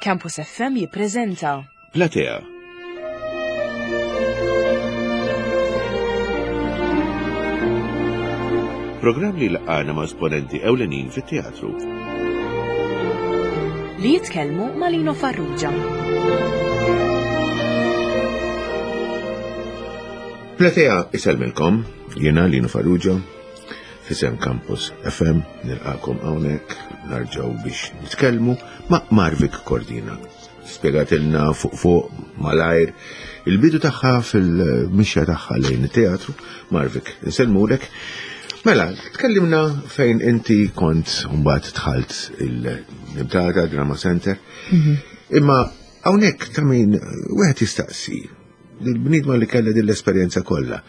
Campus FM jippreżenta Platea. Programm li laqana ma' esponenti ewlenin fit-teatru. Li jitkellmu ma' Lino Farrugia. Platea isellmilkom, jiena Lino Farrugia, Fisem Campus FM nilqakom hawnhekk narġgħu biex nitkellmu ma' Marvik Cordina. Spjegatilna fuq fuq malajr il-bidu tagħha fil-mixja tagħha lejn it-teatru. Marvik, insellmulek. Mela, tkellimna fejn inti kont mbagħad dħalt il-Nimtata Drama Center. Mhm. Imma hawnhekk ta' min wieħed jistaqsi l-bniedma li kellha din l-esperjenza kollha.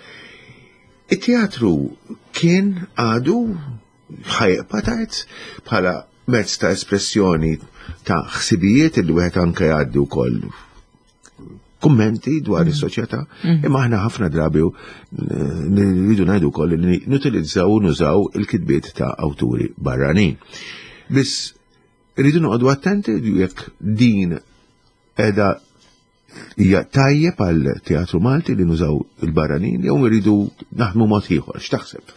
It-teatru kien għadu ħajqpa tgħid bħala mezz ta' espressjoni ta' ħsibijiet li wieħed anke jgħaddi wkoll kummenti dwar mm. is-soċjetà, mm. imma aħna ħafna drabi nridu ngħidu wkoll li nutilizzaw u nużaw il-kitbiet ta' awturi barranin. Biss rridu noqogħdu attenti jekk din qiegħda Hija tajjeb għal teatru Malti li nużaw il-barranin jew iridu naħdmu mod ieħor, x'taħseb?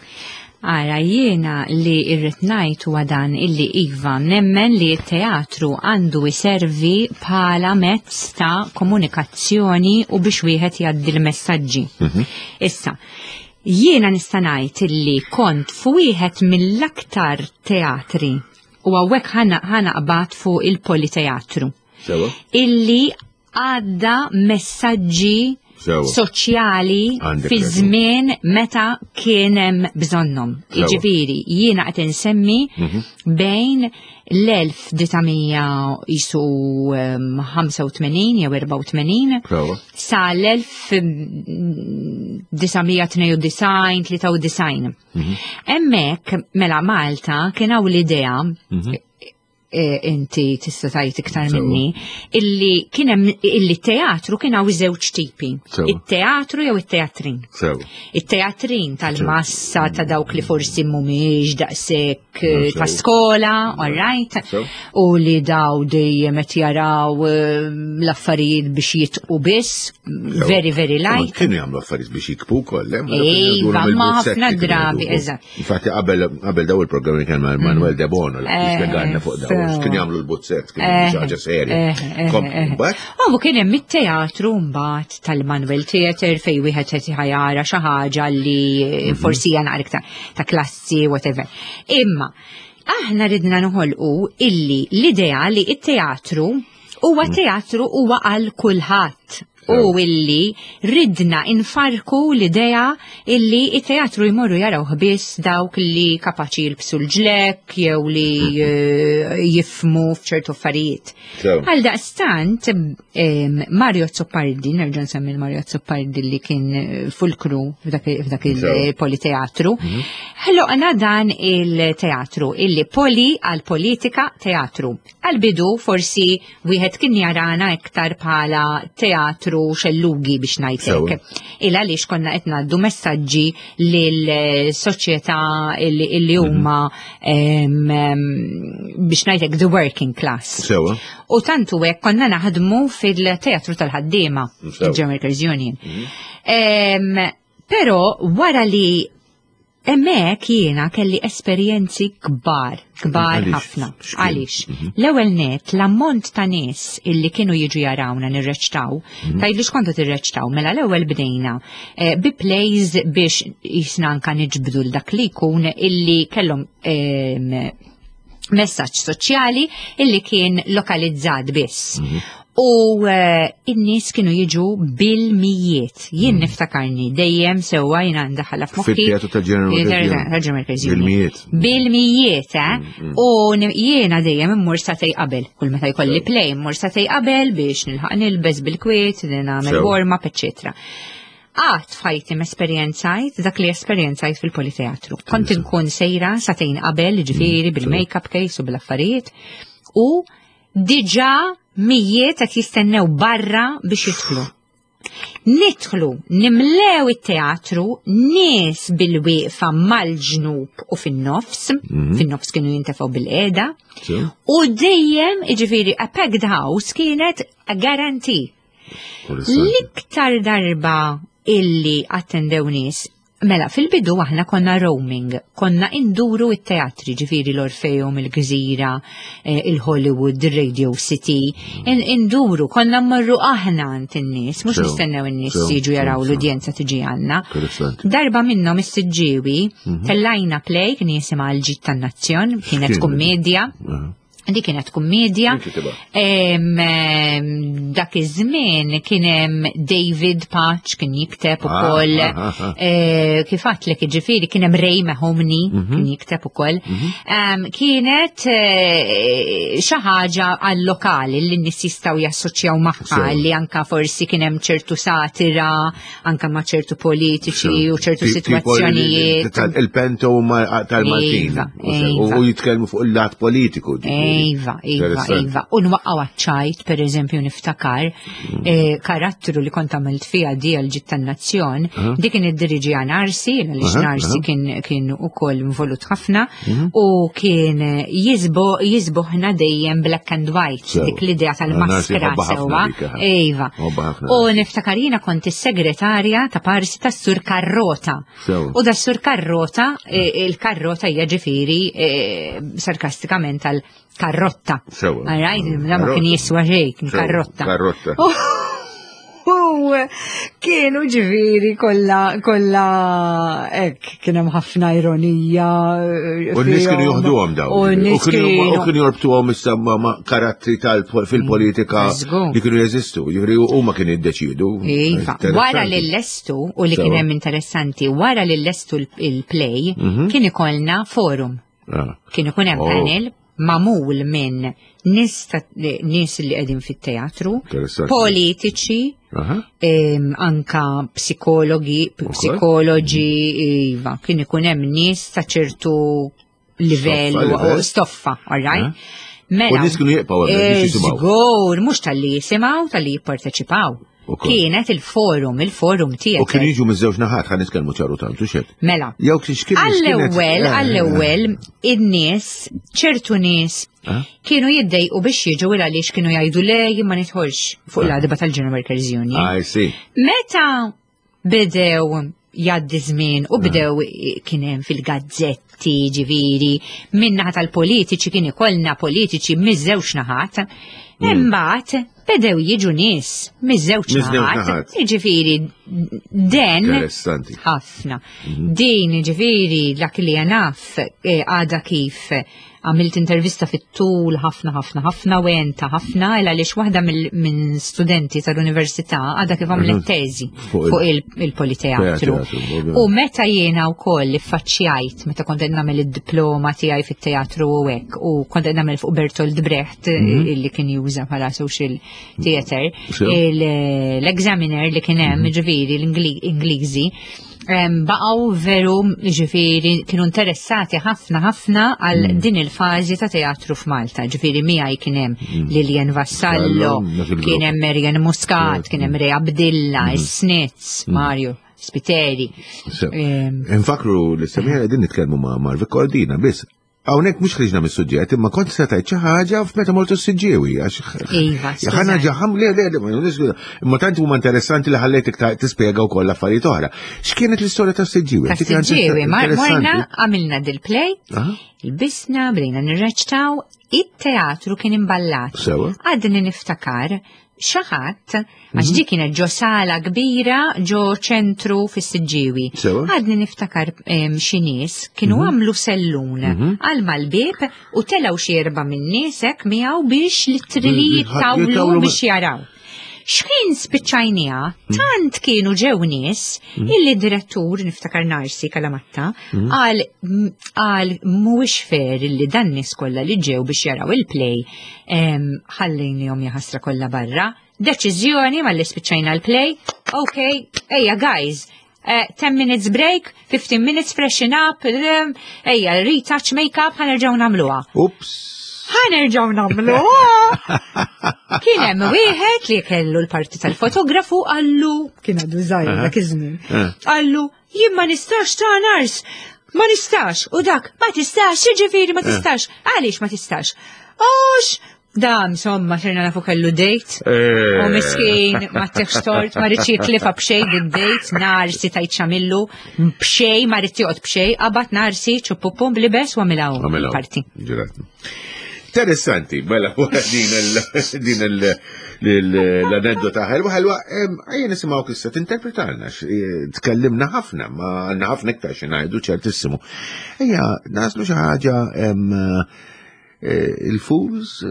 Ara jiena li irrid ngħid huwa dan illi iva nemmen li t-teatru għandu jservi bħala mezz ta' komunikazzjoni u biex wieħed jgħaddi l-messaġġi. Mhm. Issa, jiena nista' ngħid illi kont f'wieħed mill-aktar teatri u hawnhekk ħanaqbad fuq il-politeatru. Illi għadda messaġġi soċjali fi żmien meta kien hemm bżonnhom. Jiġifieri jiena qed insemmi mhm. bejn l-1985 jew 84 sa l-1992 93. Mhm. Hemmhekk mela Malta kien hawn l-idea mhm. E, inti tista' tgħid iktar minni, illi kien hemm illi teatru kien hawn żewġ tipi. It-teatru jew it-teatrin. It-teatrin tal-massa ta' dawk li forsi mhumiex daqshekk eh, ta' skola, all right, u li daw dejjem qed jaraw eh, l-affarijiet biex jitqu biss, very very light. Kienu jagħmlu affarijiet biex jikbu koll, eh? Iva, ma ħafna drabi, eżatt. Infatti qabel qabel daw il-programmi kien ma' Manuel De Bono li eh, spjegalna fuq daw, kien jagħmlu l-buzzett, kien eh, xi ħaġa serja. Eh, U kien hemm it-teatru mbagħad tal-Manuel Theater fejn wieħed qed jara xi ħaġa li mhm. forsi hija naqra iktar ta' klassi whatever. Imma aħna ridna noħolqu illi l-idea li it-teatru huwa mhm. teatru huwa għal kulħadd u illi ridna infarku l-idea illi it-teatru jmorru jaraw biss dawk li kapaċi jilbsu l-ġlek jew li eh, jifmu f'ċertu affarijiet. Għal daqstant Mario Zoppardi, nerġa' nsemmi Mario Zoppardi li kien eh, fulkru f'dak il-politeatru, mhm. ħloqna dan il-teatru illi poli għal politika teatru. Għal-bidu forsi wieħed kien jarana iktar bħala teatru xellugi biex ngħidlek. Il għaliex konna qed ngħaddu messaġġi lil soċjetà illi mhm. huma biex ngħidlek the working class. Sewa. U tantu hekk konna naħdmu fil-teatru tal-ħaddiema, il-German Workers Union. Mhm. Però wara li Hemmhekk jiena kelli esperjenzi kbar, kbar ħafna. Għaliex? Mhm. L-ewwel net l-ammont ta' nies illi kienu jiġu jarawna nirreċtaw, mhm. tgħidli x'kontu tirreċtaw, mela l-ewwel bdejna eh, bi plays biex jisna anka niġbdu l dak li jkun illi kellhom ehm, messaġġ soċjali illi kien lokalizzat biss. Mhm. U eh, in-nies kienu jiġu bil-mijiet. Jien mhm. niftakarni dejjem sewwa jiena ndaħħalha f'moħħi. Fit-teatru ta' General Bil-mijiet. Bil-mijiet, eh? Mhm. U jiena dejjem immur satej qabel. Kull meta jkolli play immur satej qabel biex nilħaq nilbes bil-kwiet, nagħmel warm-up, eċċetera. Qatt f'ħajti m'esperjenzajt dak li esperjenzajt fil-politeatru. Kont inkun sejra satejn qabel, ġifieri mm, bil-makeup case u bil-affarijiet, u diġà mijiet qed jistennew barra biex jidħlu. Nidħlu, nimlew it-teatru, nies bil-wieqfa mal-ġnub u fin-nofs, fin-nofs kienu jintefgħu bil-qiegħda, u dejjem, jiġifieri, a packed house kienet a guarantee. L-iktar darba illi attendew nies Mela, fil-bidu aħna konna roaming, konna induru it-teatri, ġifiri l-Orfeum, il-Gżira, eh, il-Hollywood, il-Radio City, induru, konna mmorru aħna għand in-nies, mhux nistennew in-nies jiġu jaraw l-udjenza tiġi għandna. Darba minnhom is-Siġġiewi, tellajna play kien jisimha l-ġid tan-nazzjon, kienet kummedja. Di kienet kummedja. Dak iż-żmien kien hemm David Patch kien jikteb ah, ukoll. Ah, ah, eh, kif għatlek jiġifieri kien hemm Ray Mahomney mhm. kien jikteb ukoll. Mhm. Kienet eh, xi ħaġa għal-lokali li n-nies jistgħu jassoċjaw magħha li anka forsi kien hemm ċertu satira anka ma' ċertu politiċi u ċertu sitwazzjonijiet. Il-pento tal-Maltin. Iva, iva. U jitkellmu fuq il-lat politiku. Iva, iva, iva. U nwaqqaw għaċ-ċajt, per eżempju, niftakar mm. eh, karattru li kont għamilt fija di għal-ġit tan-nazzjon, dik kien id-diriġi Narsi, għaliex Narsi kien ukoll involut ħafna, mhm. u kien jizboħna dejjem black and white, dik l-idea tal-maskra sewwa. Iva. U niftakar jiena kont is-segretarja ta' parsi tas-Sur Karrota. U da Sur Karrota, e, il-karrota hija ġifieri e, sarkastikament tal karrotta. Sewa. Alright, da ma kien jiswa xejn, kien karrotta. Karrotta. U kienu ġifieri kollha kollha hekk kien hemm ħafna ironija. Eh, u n-nies kienu joħduhom dawn. U n-nies kienu kienu jorbtuhom issa ma' karattri tal fil-politika li kienu jeżistu. Ġifieri huma kienu jiddeċiedu. Iva, wara li lestu u li kien hemm interessanti, wara li lestu il-play mhm. kien ikollna forum. Ah. Kien ikun hemm oh. panel mamul minn nies nies li qegħdin fit-teatru, politiċi, anka psikologi, psikoloġi, iva, kien ikun hemm nies ta' ċertu livell u stoffa, all right? Mela, u nies kienu jibqgħu hemmhekk biex jisimgħu. Żgur, mhux talli jisimgħu, talli jipparteċipaw. Kienet il-forum, il-forum tiegħek. U kienu jiġu miż-żewġ naħat ħa nitkellmu ċaru tantu xed. Mela. Jew x'kien Għall-ewwel, eh, għall-ewwel in-nies, ċertu nies eh? kienu jiddejqu biex jiġu il għaliex kienu jgħidu le jien ma nidħolx fuq eh. l-għadba tal-General Workers Union. I see. Meta bdew jgħaddi żmien u bdew kien hemm fil-gazzetti ġifieri min-naħa tal-politiċi kien ikollna politiċi miż-żewġ naħat. Hmm. Imbagħad bdew jiġu nies miż-żewġ naħat. Ġifieri den ħafna. Mhm. Din ġifieri dak li naf eh, għada kif Għamilt intervista fit-tul ħafna ħafna ħafna u għenta ħafna il għaliex waħda minn studenti tal-università għadha kif għamlet mhm. teżi fuq il-politeatru. U meta jiena wkoll iffaċċjajt meta kont qed nagħmel id-diploma tiegħi fit-teatru u hekk u kont qed nagħmel fuq Bertolt Brecht mhm. illi kien juża bħala social theater, l-examiner li kien hemm mhm. ġifieri l-Ingliżi baqgħu veru ġifieri kienu interessati ħafna ħafna għal mm. din il-fażi ta' teatru f'Malta. Ġifieri miegħi kien hemm mm. Lilian Vassallo, kien hemm Marian Muscat, kien hemm Rea Abdilla, mm. Snitz, Mario. Spiteri. Infakru l-istemija qegħdin nitkellmu ma' Marvi Cordina biss Hawnhekk mhux ħriġna mis-suġġett, imma kont se tgħid xi ħaġa f'meta mortu s-siġġiewi għax. Iva. Ħana ġaħam le le le, imma tant huma interessanti li ħallejtek tispjega wkoll affarijiet oħra. X'kienet l-istorja tas-siġġiewi? Tas-siġġiewi, morna għamilna dil-play, il-bisna, bdejna nirreċtaw, it-teatru kien imballat. Għadni niftakar xi ħadd, għax mhm. dik kienet ġo sala kbira ġo ċentru fis-Siġġiewi. Għadni niftakar xi nies kienu mhm. għamlu sellun mhm. għal mal-bieb u telgħu xi erba' minn nies hekk miegħu biex litrili jittawlu biex jaraw. Xħin spiċċajnija, tant kienu ġew nies illi direttur niftakar Narsi Kalamatta għal għal mhuwiex fair illi dan nies kollha li ġew biex jaraw il-play ħallejnihom jaħasra kollha barra. Deċiżjoni malli spiċċajna l-play. Ok, ejja guys, 10 eh, minutes break, 15 minutes freshen up, ejja retouch makeup ħanerġgħu nagħmluha. Ups. Ħa nerġgħu nagħmlu. Kien hemm wieħed li kellu l-parti tal-fotografu qallu kien għadu żgħir dak iż-żmien. Qallu jien ma nistax ta' nars. Ma nistax, u dak, ma tistax, jiġifieri ma tistax. Għaliex ma tistax? Għax Da, insomma, xerna nafu kellu date. U miskin, ma teħx tort, ma rridx jitlifa b'xej din date, narsi tajt xamillu, b'xej, ma rridx joqgħod b'xej, qabad narsi, ċuppupum blibes u għamilha Għamilha. parti. Ġirat. Interessanti, mela, wara din il- din il- l-aneddota ħelwa, ħelwa, ejja nisimgħu issa tinterpretalna, tkellimna ħafna, ma għandna ħafna iktar xi ngħidu ċertissimu. Ejja, naslu xi ħaġa il-Fools,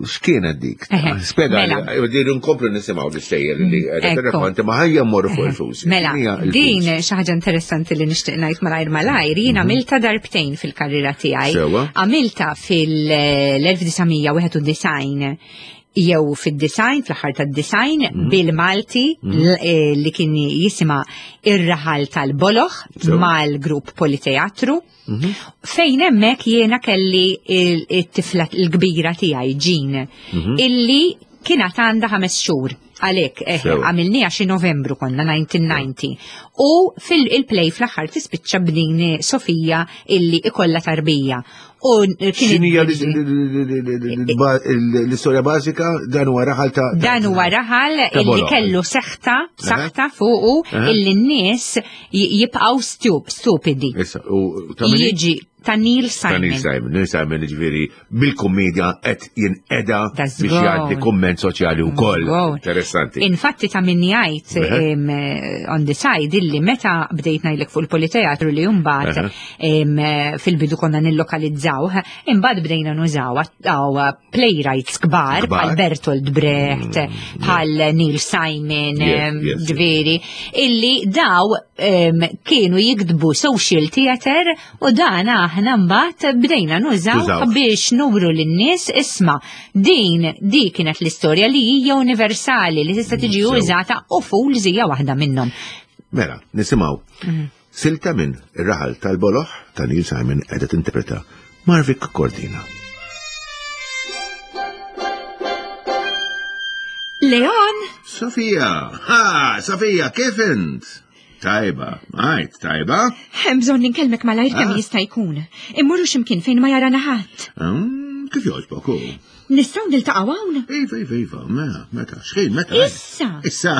x'kienet dik? Eħe, Spjega, mela. din nkomplu nisimgħu l-istejjer li qiegħda Ekku. tirrakkonti, ma ħajja mmorru fuq il-Fools. Mela, X'inhija il-Fools? din xi ħaġa interessanti li nixtieq ngħid malajr malajr, jien għamilta darbtejn fil-karriera tiegħi. Sewwa. Għamilta fil-1991 jew fid-design, fl-aħħar tad-design, bil-Malti li kien jisima Ir-Raħal tal-Boloh Sewwa. mal-grupp Politeatru. Fejn hemmhekk jiena kelli it-tifla l-kbira tiegħi Jean, illi kienet għandha 5 xhur. Għalhekk, Sewwa. għamilniha xi Novembru konna 1990. U fil-play fl-aħħar tispiċċa b'din Sofija illi ikollha tarbija. U kien X'inhija l-istorja bażika? Dan huwa raħal ta' Dan huwa raħal ta' illi boloh. kellu saħta fuqu illi n-nies jibqgħu stupidi. Issa, u ta' min? Jiġi ta' Neil Ta' Neil Simon. Simon. Neil Simon, ġifieri, bil-kommedja qed jinqeda That's biex good. jgħaddi kumment soċjali wkoll. Good. Interessanti. Infatti ta' min jgħid, on the side illi meta bdejt ngħidlek fuq il-politeatru li mbagħad, fil-bidu konna nillokalizzawh, imbagħad bdejna nużaw għaw playwrights kbar, Kbar. bħal Bertolt Brecht, bħal Neil Simon, ġifieri, illi daw kienu jiktbu social theater u dan aħna mbagħad bdejna nużaw Tużaw. biex nuru lin-nies isma' di kienet l-istorja li hija universali li tista' tiġi użata u Fools hija waħda minnhom. Mela, nisimgħu. Silta minn Ir-Raħal tal-Boloh ta' Neil Simon qiegħda tinterpreta Marvic Cordina. Leon! Sofija! Ha, Sofija, kif int? Tajba, għajt, tajba. Hemm bżonn ninkellmek malajr kemm jista' jkun. Immorru x'imkien fejn ma jarana ħadd. Kif jogħġbok hu? Nistgħu niltaqgħu hawn? Iva, iva, iva, mela, meta, x'ħin, meta? Issa! Issa,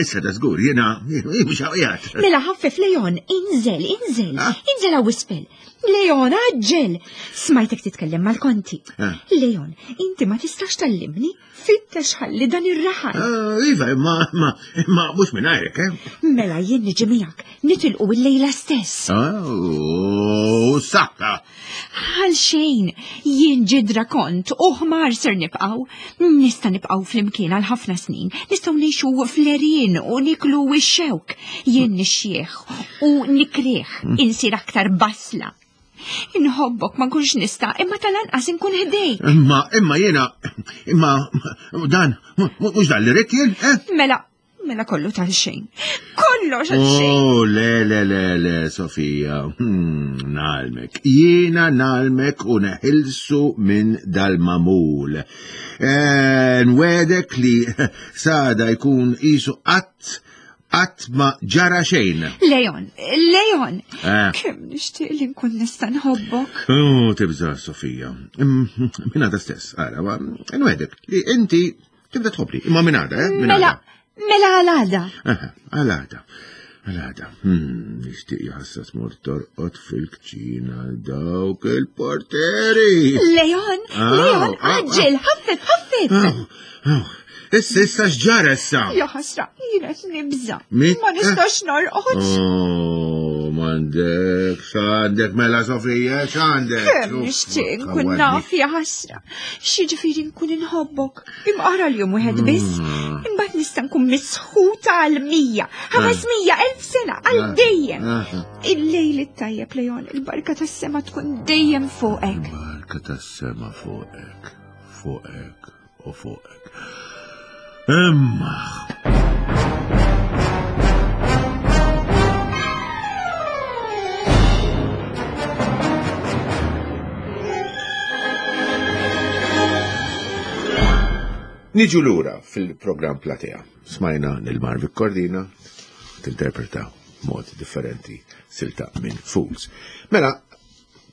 issa ta' żgur, jiena, jiena mhux hawn Mela ħaffef Leon, inżel, inżel, inżel hawn isfel. Leon, aġġel! Smajtek titkellem mal-konti. Leon, inti ma tistax tallimni? Fittex ħalli dan ir-raħal. Iva, imma mhux minn għajrek, eh? Mela jien niġi miegħek, nitilqu il-lejla stess. Oh, saħħa. Għal xejn, jien ġidra kont u ħmar ser nibqgħu. Nista' nibqgħu flimkien għal ħafna snin. Nistgħu ngħixu fl-għerien u niklu x-xewk. Jien nixjieħ u nikrieħ, insir aktar basla. Inħobbok ma nkunx nista', imma tal-anqas inkun ħdejk. Imma, imma jiena, imma dan, mhux dan li rrid jien, eh? Mela, mela kollu tal-xejn. Kollox għal-xejn. Oh, le, le, le, le, Sofija. Nalmek. Jiena nalmek u neħilsu minn dal-mamul. Nwedek li sada jkun isu qatt qatt ma ġara xejn. Leon, Leon, kemm nixtieq li nkun nista' nħobbok. Oh, tibża, Sofija. Minn għada stess, ara, ma nwedek li inti tibda tħobbni. Imma minn għada, eh? Minn Mela, għada. mela għal għada. Aha, għal għada. Għal għada. Nixtieq jħassas mur torqod fil-kċina dawk il-porteri. Leon, Leon, aġġel, ħaffef, ħaffef. Aw, aw. Issa, issa x'ġara issa? Ja ħasra, jiena qed nibża. Mi- Ma nistax norqod. Oh, m'għandek, x'għandek mela Sofija, x'għandek? Kemm Uff, nixtieq nkun kawwadni. naf ja ħasra. X'jiġifieri nkun inħobbok. Imqara l-jum wieħed biss, imbagħad nista' nkun misħuta għal 100, 500, 1000 sena, għal dejjem. Il-lejl it-tajjeb, Leon, il-barka tas-sema tkun dejjem fuqek. Il-barka tas-sema fuqek, fuqek u fuqek. Imma. Niġu lura fil-programm Platea. Smajna lil Marvic Cordina tinterpreta mod differenti silta minn Fools. Mela,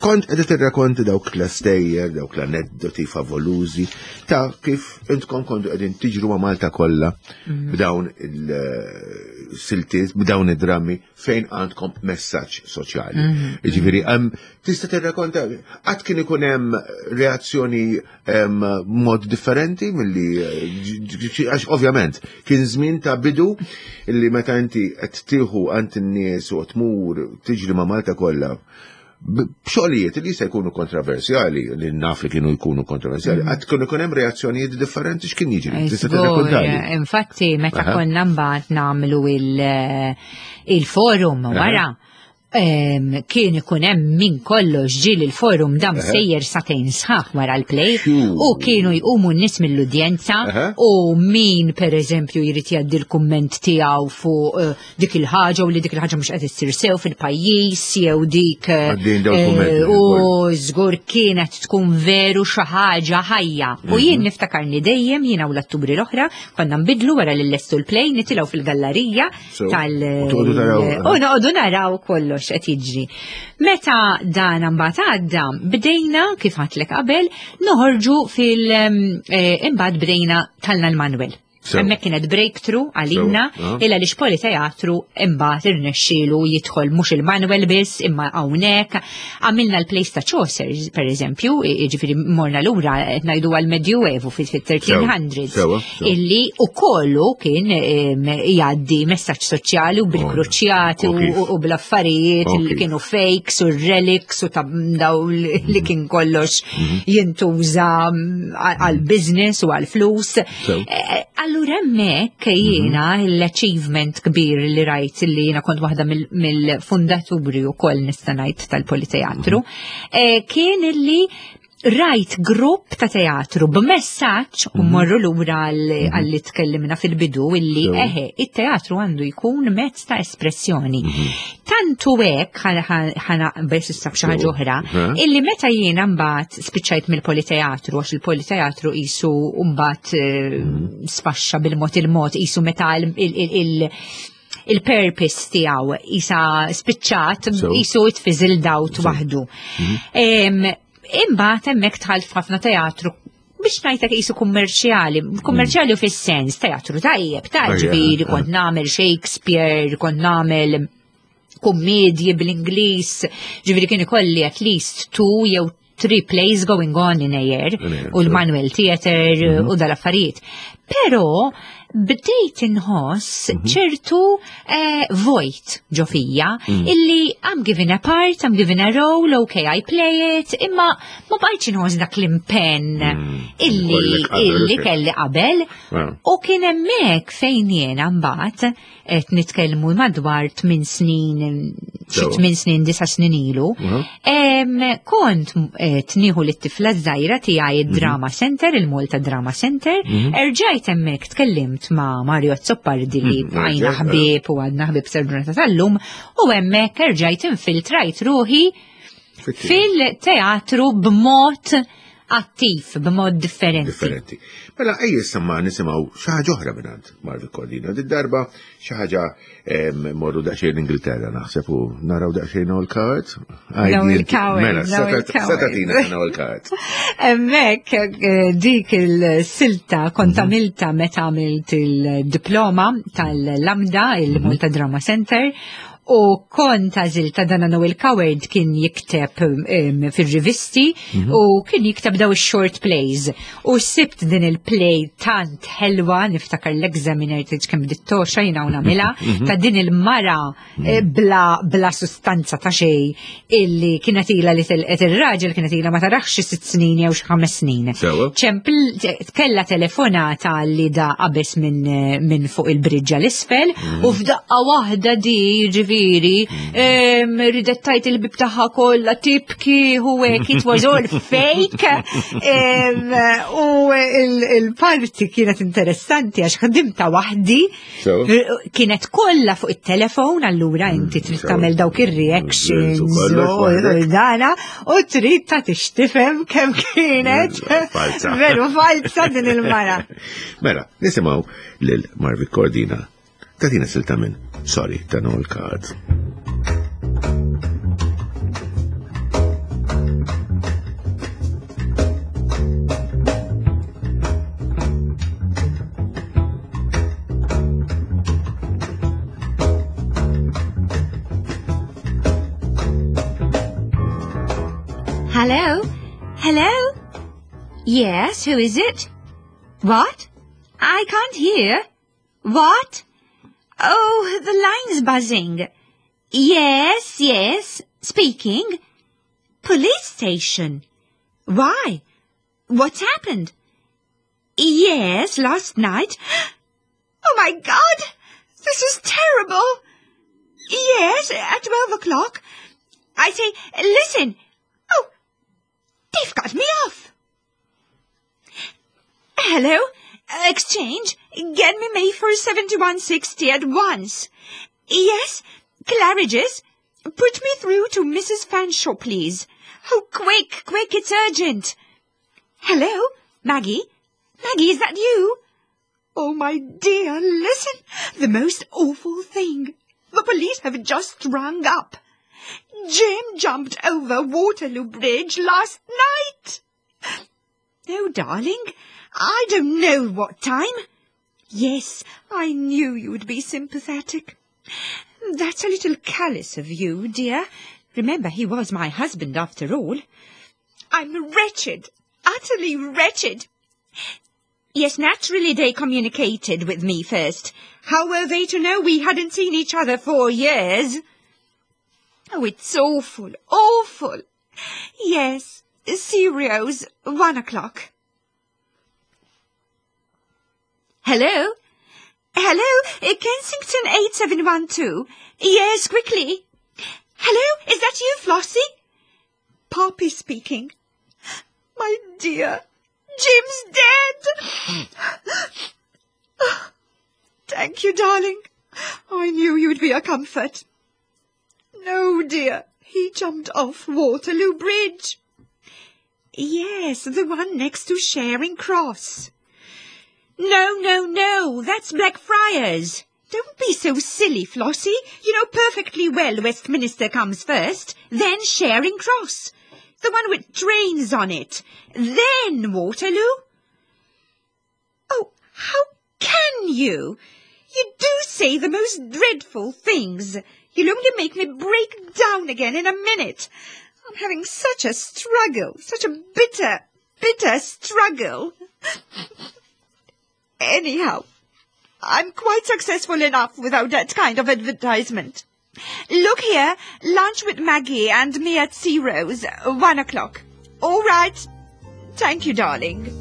kont qed tirrakonti dawk l-stejjer, dawk l-aneddoti favolużi ta' kif intkom kontu qegħdin tiġru ma' Malta kollha b'dawn il-siltiet, b'dawn id-drammi fejn għandkom messaġġ soċjali. Jiġifieri hemm tista' tirrakonta qatt kien ikun hemm reazzjoni mod differenti milli għax ovvjament kien żmien ta' bidu illi meta inti qed tieħu għand in-nies u tmur tiġri ma' Malta kollha b'xogħlijiet li jista' jkunu kontroversjali, li naf li kienu jkunu kontroversjali, qatt kienu jkun hemm reazzjonijiet differenti x'kien jiġri. Tista' tirrakkontali. Infatti, meta konna mbagħad nagħmlu il-forum wara, kien ikun hemm min kollox ġieli l-forum dam sejjer sagħtejn sħaħ wara l-play u kienu jqumu n-nies mill-udjenza u min per eżempju jrid jgħaddi l-kumment tiegħu fuq dik il-ħaġa u li dik il-ħaġa mhux qed issir sew fil-pajjiż jew dik Għaddin dawn kummenti u żgur kienet tkun veru xi ħaġa ħajja. U jien niftakarni dejjem jiena u l-atturi l-oħra konna nbidlu wara li llestu l-play nitilgħu fil-gallerija tal U toqgħodu taraw. U noqogħdu naraw kollox qed jiġri. Meta dan mbagħad għadda, bdejna kif għedtlek qabel noħorġu fil imbagħad bdejna tlajna l-Manuel. Hemmhekk kienet breakthrough għalina illa li Politeatru imbagħad irnexxielu jidħol mhux il-Manuel biss imma hawnhekk għamilna l-plays ta' Chaucer per eżempju, jiġifieri morna lura qed ngħidu għal-Medjuevu fit-1300s illi u kollu kien jgħaddi messaġġ soċjali u bil-kruċjati u bl-affarijiet li kienu fakes u relics u ta' daw li kien kollox jintuża għal-business u għal-flus. Allura hemmhekk jiena l-achievement kbir li rajt li jiena kont waħda mill-fundaturi wkoll nista' ngħid tal-Politeatru, kien illi rajt grupp ta' teatru b'messaġġ u morru lura għalli tkellimna fil-bidu illi eħe, it-teatru għandu jkun mezz ta' espressjoni. Tantu hekk ħana bes issa xi ħaġa oħra, illi meta jiena mbagħad spiċċajt mill-Politeatru għax il-Politeatru qisu mbagħad sfaxxa bil-mod il-mod qisu meta il-purpose tiegħu isa spiċċat qisu it fizzled out waħdu. Imbagħad hemmhekk dħalt f'ħafna teatru biex ngħidlek qisu kummerċjali, kummerċjali u fis-sens teatru tajjeb, ta' ġifieri kont nagħmel Shakespeare, kont nagħmel kummedji bl-Ingliż, ġifieri kien ikolli at least two jew three plays going on in a year, u l-Manuel Theatre u dal-affarijiet. Però bdejt inħoss ċertu vojt ġo fija illi I'm given a part, I'm given a role, okay, I play it, imma ma bqajtx inħoss dak l-impenn illi kelli qabel. U kien hemmhekk fejn jiena mbagħad qed nitkellmu madwar 8 snin, xi 8 snin, 9 snin ilu. Kont tnieħu lit-tifla żgħira tiegħi id-Drama Center, il-Malta Drama Center, erġajt hemmhekk tkellimt ma' Mario Azzopardi li bqajna ħbieb u għadna ħbieb sal-ġurnata tal-lum, u hemmhekk erġajt infiltrajt ruħi fil-teatru b'mod attiv, b'mod differenti. Differenti. Mela, ejja issa ma nisimgħu xi ħaġa oħra minn Marvic Cordina. Did-darba xi ħaġa morru daqsxejn Ingilterra naħseb u naraw daqsxejn Noel Coward. Noel Coward. Mela, setatina Noel Coward. Hemmhekk dik il-silta kont għamilta meta għamilt il-diploma tal-Lambda, il-Malta Drama Center, u kont għażilta dan Noel Coward kien jikteb fil-rivisti u kien jikteb daw short plays. U sibt din il-play tant ħelwa, niftakar l-examiner tgħidx kemm bdiet togħxa jiena u nagħmilha, ta' din il-mara bla sustanza ta' xej illi kienet ila li telqet ir-raġel kienet ila ma tarax xi 6 snin jew xi 5 snin. Ċempel kella telefonata li da qabeż minn fuq il-bridge l-isfel u f'daqqa waħda di ġifieri ġifieri, ridet tajt il-bib tagħha kollha tibki u hekk it was all fake. U il-parti kienet interessanti għax ħdimta waħdi. Kienet kollha fuq it-telefon allura inti trid tagħmel dawk ir-reactions u dana u trid ta' tixtifhem kemm kienet veru falsa din il-mara. Mela, nisimgħu lil Marvi Cordina tatina silta minn Sorry ta' Noel Card. Hello? Hello? Yes, who is it? What? I can't hear. What? Oh, the line's buzzing. Yes, yes, speaking. Police station. Why? What's happened? Yes, last night. Oh, my God! This is terrible. Yes, at 12 o'clock. I say, listen. Oh, they've got me off. Hello? Exchange? Get me Mayfair 7160 at once. Yes, Claridge's. Put me through to Mrs. Fanshawe, please. Oh, quick, quick, it's urgent. Hello, Maggie? Maggie, is that you? Oh, my dear, listen. The most awful thing. The police have just rung up. Jim jumped over Waterloo Bridge last night. No, darling, I don't know what time. Yes, I knew you'd be sympathetic. That's a little callous of you, dear. Remember, he was my husband after all. I'm wretched, utterly wretched. Yes, naturally they communicated with me first. How were they to know we hadn't seen each other for years? Oh, it's awful, awful. Yes, Ciro's, 1 o'clock. Hello? Hello, Kensington 8712. Yes, quickly. Hello, is that you, Flossie? Poppy speaking. My dear, Jim's dead. Thank you, darling. I knew you'd be a comfort. No, dear, he jumped off Waterloo Bridge. Yes, the one next to Charing Cross. No, no, no, that's Blackfriars. Don't be so silly, Flossie. You know perfectly well Westminster comes first, then Charing Cross. The one with trains on it. Then Waterloo. Oh, how can you? You do say the most dreadful things. You'll only make me break down again in a minute. I'm having such a struggle, such a bitter, bitter struggle. Anyhow, I'm quite successful enough without that kind of advertisement. Look here, lunch with Maggie and me at Ciro's, 1 o'clock. All right. Thank you, darling.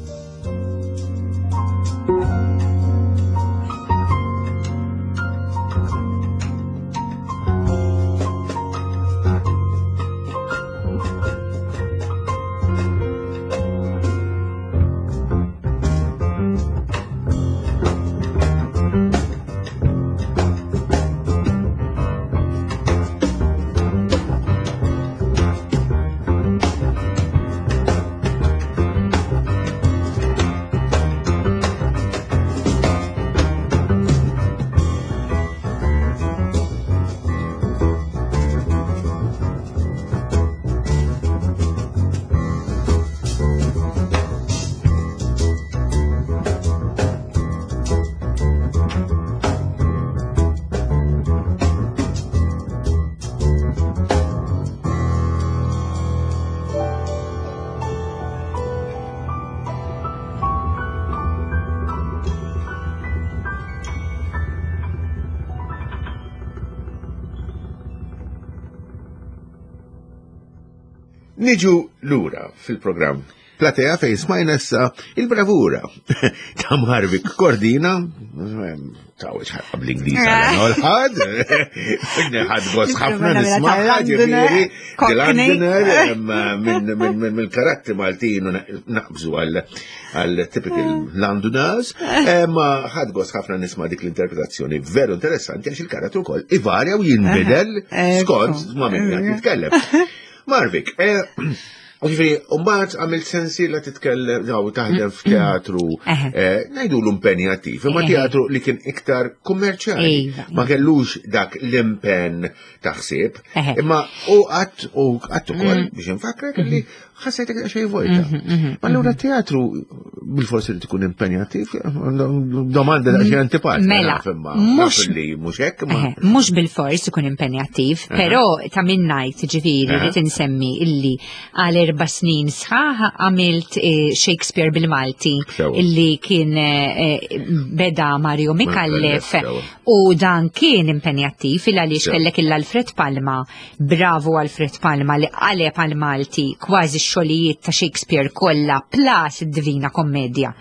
Niġu lura fil-programm. Platea fejn smajna issa il-bravura ta' Marvik Cordina, ta' ħabba bl-Ingliż għal ħadd, ħadd gost ħafna nisma' ġifieri, Londoner minn karattri Maltin u naqbżu għal typical Londoners, ma ħadd gost ħafna nisma' dik l-interpretazzjoni veru interessanti għax il-karattru wkoll ivarja u jinbidel skont ma' min qed jitkellem. Marvik, eh, Ġifieri, mbagħad għamilt sensi la titkellem jew taħdem f'teatru eh, ngħidu l-impenjattiv, imma teatru li kien iktar kummerċjali. Iva. Ma kellux dak l-impenn ta' ħsieb, imma u qatt u qatt ukoll mm. biex infakrek li mm-hmm. ħassejtek xejn vojta. Mm-hmm, mm-hmm, Ma allura teatru bil-forsi li tkun impenjattiv, domanda da xejn antipatika. Mela, mhux li mhux hekk, mhux bil-fors ikun impenjattiv, però ta' min ngħid ġifieri li tinsemmi illi għal erba' snin sħaħ għamilt eh, Shakespeare bil-Malti illi kien eh, eh, beda Mario Mikallef u dan kien impenjattiv il għaliex kellek il-Alfred Palma, bravo Alfred Palma li qaleb għal Malti kważi x-xogħlijiet ta' Shakespeare kollha plus id-Divina Kommedja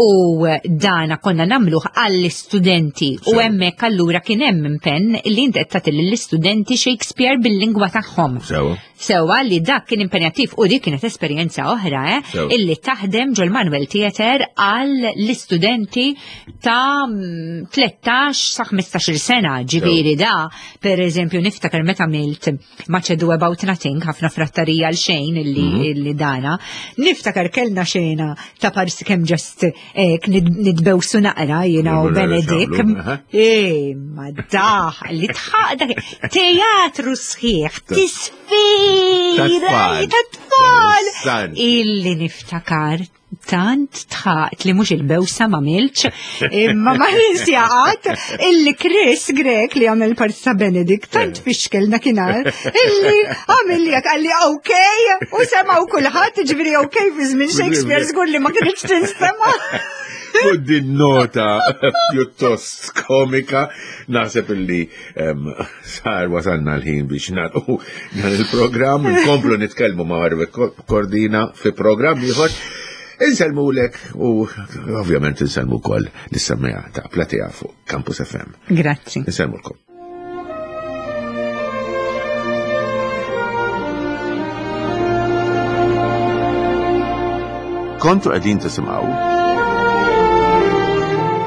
u dana konna namluħ għall-istudenti u hemmhekk allura kien hemm impenn li inti qed tagħti lill-istudenti Shakespeare bil-lingwa tagħhom. Sewa li dak kien impenjattiv u dik kienet esperjenza oħra, eh, illi taħdem ġol Manuel Theater għal l-istudenti ta' 13 sa 15 sena, ġifieri da, per eżempju niftakar meta milt Much Ado About Nothing, ħafna frattarija għal xejn illi, mm -hmm. illi dana. Niftakar kellna xena ta' parsi kemm ġast eh, nitbewsu naqra jiena u Benedict. Eh, ma daħ li tħaq dak teatru sħiħ, tisfira ta' tfal. Illi niftakar tant tħaqt li mhux il-bewsa ma milċ, imma ma ninsjaqat illi Chris Grek li għamel parti ta' Benedict tant eh. fixkel dakinhar illi għamil li għalli ok u semaw kulħadd ġifieri ok fi żmien Shakespeare żgur li ma kienx tinstema'. U din nota pjuttost komika naħseb illi Sar wasalna l-ħin biex nagħlqu dan il-programm, nkomplu nitkellmu ma' Harvey Cordina fi programm ieħor. Insellmulek u ovvjament insellmu wkoll lis-semmija ta' Platea fuq Campus FM. Grazzi. Insellmulkom. Kontu qegħdin tisimgħu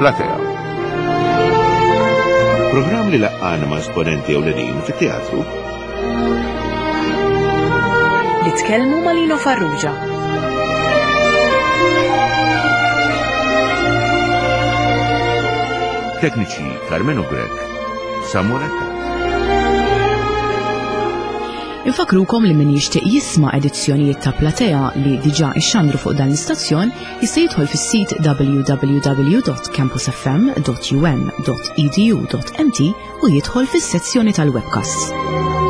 Platea. Programm li laqqana ma' esponenti ewlenin fit-teatru. Nitkellmu ma' Lino Farrugia. Tekniċi Carmenu Grek, Samuel Infakrukom li min jixtieq jisma' edizzjonijiet ta' Platea li diġà ixxandru fuq dan l-istazzjon jista' jidħol fis-sit www.campusfm.um.edu.mt u jidħol fis-sezzjoni tal-webcasts.